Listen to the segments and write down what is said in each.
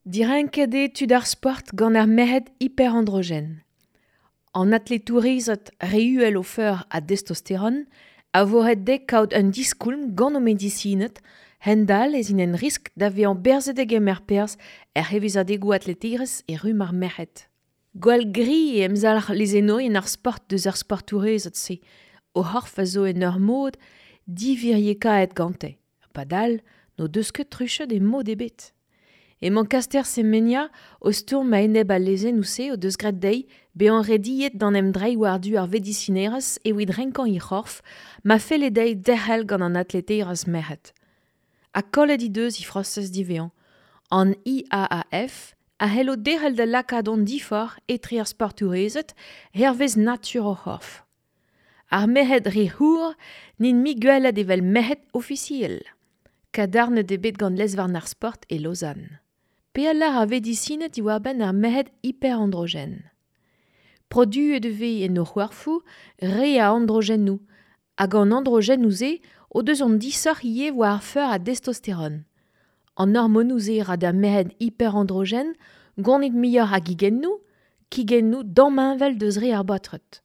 Direnket eo tud ar sport gant ar merc'hed hiperandrogen. An atletourezed re uhel o feur a destosteron a vo ret dezhe kaout un diskoulm gant o medisined, hend-all ez int en riskl da vezañ berzet da gemer perzh er c'hevezadegoù atleterezh e rumm ar merc'hed. Gwall gri eo emzalc'h lezennourien ar sport deus ar sportourezed-se, o c'horf a zo en ur mod diviriekaet gante. Padal n'o deus ket truchet e mod ebet. Emañ Caster Semenya o stourm a-enep al lezennoù-se o deus graet dezhi bezañ rediet d'an emdreiñ war-du ar vedisinerezh evit renkañ he c'horf ma felle dezhi derc'hel gant an atleterezh merc'hed. Ha kollet he deus he frosez diwezhañ. An IAAF a c'hello derc'hel da lakaat an diforc'h etre ar sportourezed hervez natur o c'horf. Ar merc'hed re c'hour n'int mui gwelet evel merc'hed ofisiel. Kadarnet eo bet gant lez-varn ar sport e Lausanne. Pe a lâr ar vedisined diwar-benn ar merc'hed hiperandrogen. Produet e vez en o c'horfoù re a androgennoù, hag an androgennoù-se o deus an disoc'h ivez war ar feur a destosteron. An hormonoù-se ra d'ar merc'hed hiperandrogen gonit muioc'h a gigennoù, kigennoù damheñvel deus re ar baotred.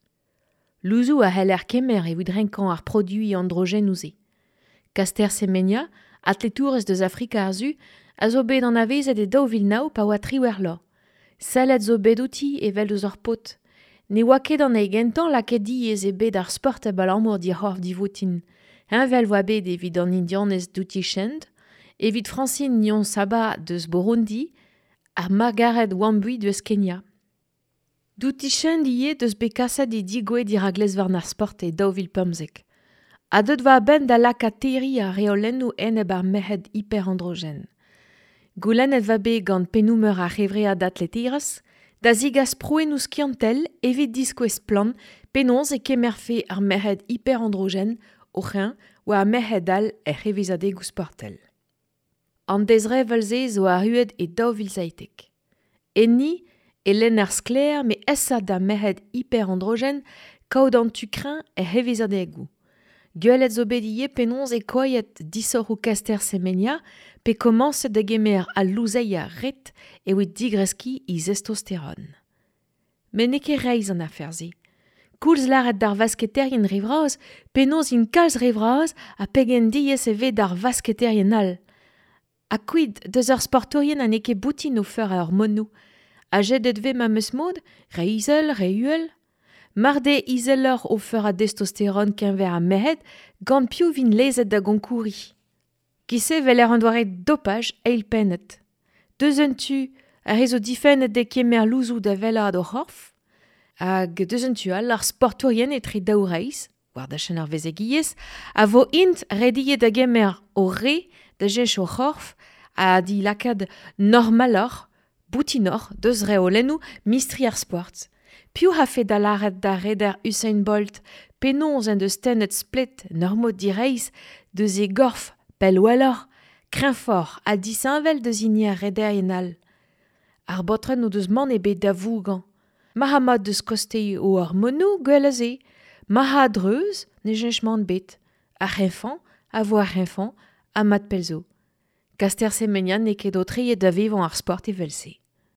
Louzoù a c'heller kemer evit renkañ ar produiñ androgennoù-se. Caster Semenya, atletourez deus Afrika ar Su, a zo bet anavezet e 2009 pa oa 18 vloaz. Sellet zo bet outi evel deus ur paotr. Ne oa ket an hini gentañ lakaet diaes eo bet ar sport abalamour d'he c'horf divoutin. Heñvel oa bet evit an Indianez Dutee Chand, evit Francine Niyonsaba deus Burundi ha Margaret Wambui deus Kenya. Dutee Chand ivez deus bet kaset he degouezh dirak lez-varn ar sport e 2015. Ha deuet 'oa a-benn da lakaat terriñ ar reolennoù enep ar merc'hed hiperandrogen. Goulennet 'oa bet gant pennoù-meur ar c'hevread atleterezh da zegas prouennoù skiantel evit diskouez splann penaos e kemerfe ar merc'hed hiperandrogen o c'hreñv war ar merc'hed all er c'hevezadegoù sportel. An dezrevell-se zo arruet e 2017. Enni e lenner sklaer met aesat d'ar merc'hed hiperandrogen kaout an tu kreñv er c'hevezadegoù. Gwelet zo bet ivez penaos eo koailhet disoc'hoù Caster Semenya pe komañset da gemer al louzeier ret evit digreskiñ he zestosteron. Met n'eo ket reizh an afer-se. Koulz lâret d'ar vasketerien re vras penaos int kalz re vras ha pegen diaes e vez d'ar vasketerien all. Ha kuit deus ar sportourien ha n'eo ket boutin o feur a hormonoù. Ha jedet 'vez memes mod, re izel, re uhel. Mar deo izeloc'h o feur a destosteron keñver ar merc'hed, gant piv 'vint lezet da gonkouriñ? Giz-se 'weler an doare dopaj eilpennet. Deus un tu, ar re zo difennet dezhe kemer louzoù da wellaat o c'horf, hag deus un tu all ar sportourien etre daou reizh, war dachenn ar vezegiezh, a vo int rediet da gemer o re da cheñch o c'horf ha d'e lakaat normaloc'h, boutinoc'h deus reolennoù mistri ar sport. Piv 'afe da lâret d'ar reder Usain Bolt penaos en deus tennet splet en ur mod direizh deus e gorf pell welloc'h, kreñvoc'h ha disheñvel deus hini ar rederien all? Ar baotred n'o deus mann ebet da vougañ. Mahamat deus kostez o hormonoù, gwell a se. Ma a-dreuz ne cheñch mann ebet. Ar c'hreñvañ a vo ar c'hreñvañ ha mat pell zo. Caster Semenya n'eo ket aotreet da vevañ ar sport evel-se.